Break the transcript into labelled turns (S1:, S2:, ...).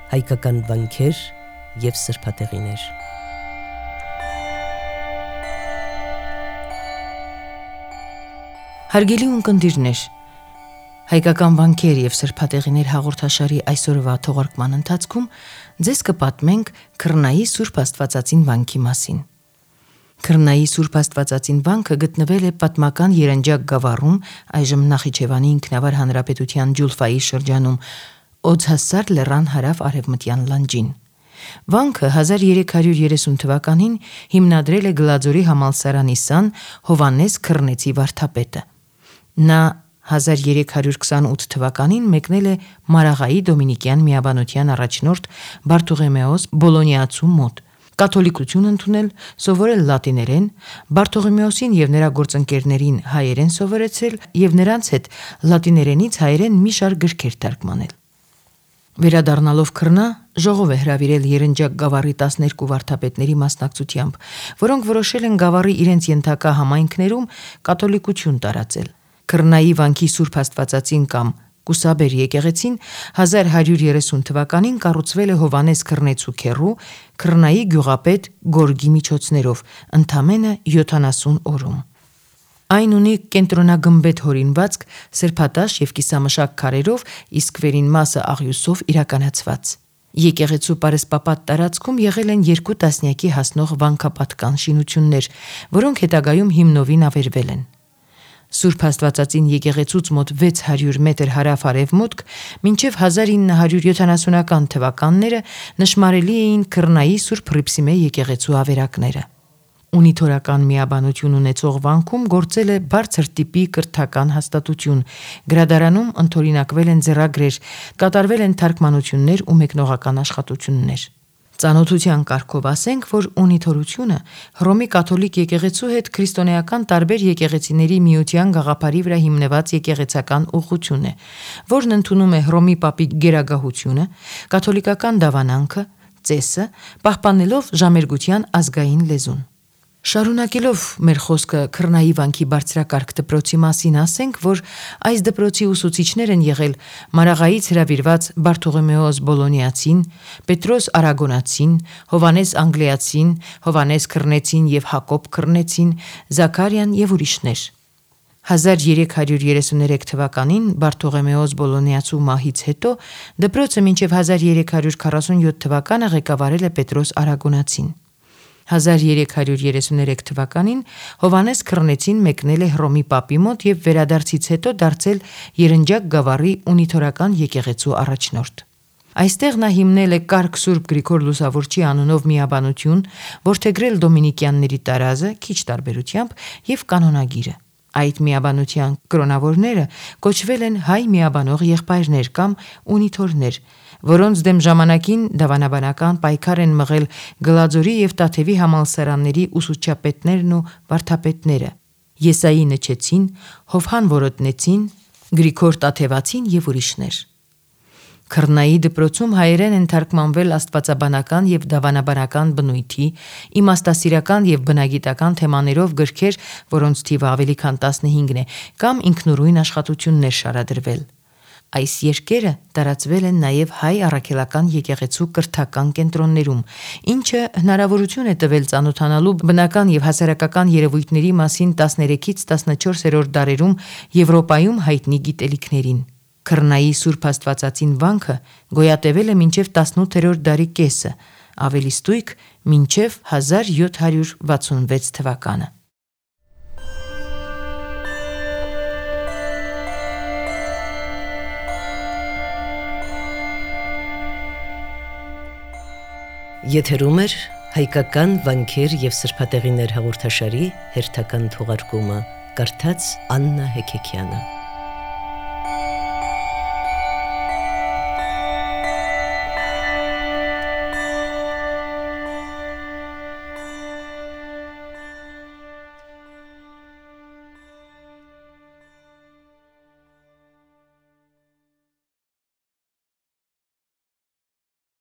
S1: հայկական վանքեր և սրբատեղիներ։
S2: Հարգելի ունկնդիրներ, հայկական վանքեր և սրբատեղիներ հաղորդաշարի այսօրվա թողարկման ընթացքում ձեզ կպատմենք Քրնայի Սուրբ Աստվածածին վանքի մասին։ Քրնայի Սուրբ Աստվածածին վանքը գտնվել է պատմական Երնջակ գավառում, այժմ Նախիջևանի ինքնավար հանրապետության Ջուլֆայի շրջանում, Օձհասար լեռան հարավ-արևմտյան լանջին։ Վանքը 1330 թվականին հիմնադրել է Գլաձորի համալսարանի սան Հովհաննես Քրնեցի վարդապետը։ Նա 1328 թվականին մեկնել է Մարաղայի Դոմինիկյան միաբանության առաջնորդ Բարթողեմեոս Բոլոնիացու մոտ, կաթոլիկություն ընդունել, սովորել լատիներեն, Բարթողեմեոսին և նրա գործընկերներին հայերեն սովորեցրել և նրանց հետ լատիներենից հայերեն մի շարք գրքեր թարգմանել։ Վերադառնալով Քրնա, ժողով է հրավիրել Երնջակ գավառի 12 վարդապետների մասնակցությամբ, որոնք որոշել են գավառի իրենց ենթակա համայնքներում կաթոլիկություն տարածել։ Քրնայի վանքի Սուրբ Աստվածածին կամ Կուսաբեր եկեղեցին 1130 թվականին կառուցվել է Հովհաննես Քրնեցու քեռու Քրնայի գյուղապետ Գորգի միջոցներով, ընդամենը 70 օրում։ Այն ունի կենտրոնագմբեթ հորինվածք, սրբատաշ և կիսամշակ քարերով, իսկ վերին մասը աղյուսով իրականացված։ Եկեղեցու պարսպապատ տարածքում եղել են 2 տասնյակի հասնող վանքապատկան շինություններ, որոնք հետագայում հիմնովին ավերվել են։ Սուրբ Աստվածածին եկեղեցուց մոտ 600 մետր հարավ-արևմուտք մինչև 1970-ական թվականները նշմարելի էին Քրնայի Սուրբ Հռիփսիմե եկեղեցու ավերակները։ Ունիթորական միաբանություն ունեցող վանքում գործել է բարձր տիպի կրթական հաստատություն, գրադարանում ընդօրինակվել են ձեռագրեր, կատարվել են թարգմանություններ ու մեկնողական աշխատություններ։ Ծանոթության կարգով ասենք, որ ունիթորությունը Հռոմի կաթոլիկ եկեղեցու հետ քրիստոնեական տարբեր եկեղեցիների միության գաղափարի վրա հիմնված եկեղեցական ուղղություն է, որն ընդունում է Հռոմի պապի գերագահությունը, կաթոլիկական դավանանքը, ծեսը, պահպանելով ժամերգության ազգային լեզուն։ Շարունակելով մեր խոսքը Քրնայի վանքի բարձրակարգ դպրոցի մասին, ասենք, որ այս դպրոցի ուսուցիչներ են եղել Մարաղայից հրավիրված Բարթողեմեոս Բոլոնիացին, Պետրոս Արագոնացին, Հովհաննես Անգլիացին, Հովհաննես Քրնեցին և Հակոբ Քրնեցին, Զաքարիան և ուրիշներ։ 1333 թվականին Բարթողեմեոս Բոլոնիացու մահից հետո դպրոցը մինչև 1347 թվականը ղեկավարել է Պետրոս Արագոնացին։ 1333 թվականին Հովհաննես Քրնեցին մեկնել է Հռոմի պապի մոտ և վերադարձից հետո դարձել Երնջակ գավառի ունիթորական եկեղեցու առաջնորդ։ Այստեղ նա հիմնել է Կարգ Սուրբ Գրիգոր Լուսավորչի անունով միաբանություն, որդեգրել դոմինիկյանների տարազը, քիչ տարբերությամբ, և կանոնագիրը։ Այդ միաբանության կրոնավորները կոչվել են հայ միաբանող եղբայրներ կամ ունիթորներ, որոնց դեմ ժամանակին դավանաբանական պայքար են մղել Գլաձորի և Տաթևի համալսարանների ուսուցչապետներն ու վարդապետները՝ Եսայի Նչեցին, Հովհան Որոտնեցին, Գրիգոր Տաթևացին և ուրիշներ։ Քրնայի դպրոցում հայերեն են թարգմանվել աստվածաբանական և դավանաբանական բնույթի, իմաստասիրական և բնագիտական թեմաներով գրքեր, որոնց թիվը ավելի քան 15 է, կամ ինքնուրույն աշխատություններ շարադրվել։ Այս երկերը տարածվել են նաև հայ առաքելական եկեղեցու կրթական կենտրոններում, ինչը հնարավորություն է տվել ծանոթանալու բնական և հասարակական երևույթների մասին 13-ից 14-րդ դարերում Եվրոպայում հայտնի գիտելիքներին։ Քրնայի Սուրբ Աստվածածին վանքը գոյատևել է մինչև 18-րդ դարի կեսը, ավելի ստույգ մինչև 1766 թվականը։
S1: Եթերում է հայկական վանքեր և սրբատեղիներ հաղորդաշարի հերթական թողարկումը, կարդաց Աննա Հեքեքյանը։